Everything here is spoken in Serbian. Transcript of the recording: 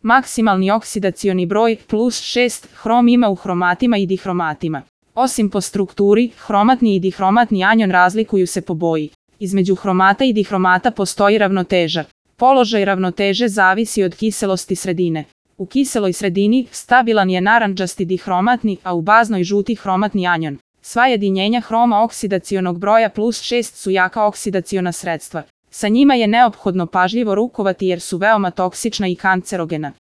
Maksimalni oksidacioni broj +6 hrom ima u hromatima i dihromatima. Osim po strukturi, hromatni i dihromatni anion razlikuju se po boji. Između hromata i dihromata postoji ravnoteža. Položaj ravnoteže zavisi od kiselosti sredine. U kiseloj sredini stabilan je narandžasti dihromatni, a u baznoj žuti hromatni anion. Sva jedinjenja hroma oksidacionog broja +6 su jaka oksidaciona sredstva. Sa njima je neophodno pažljivo rukovati jer su veoma toksična i kancerogena.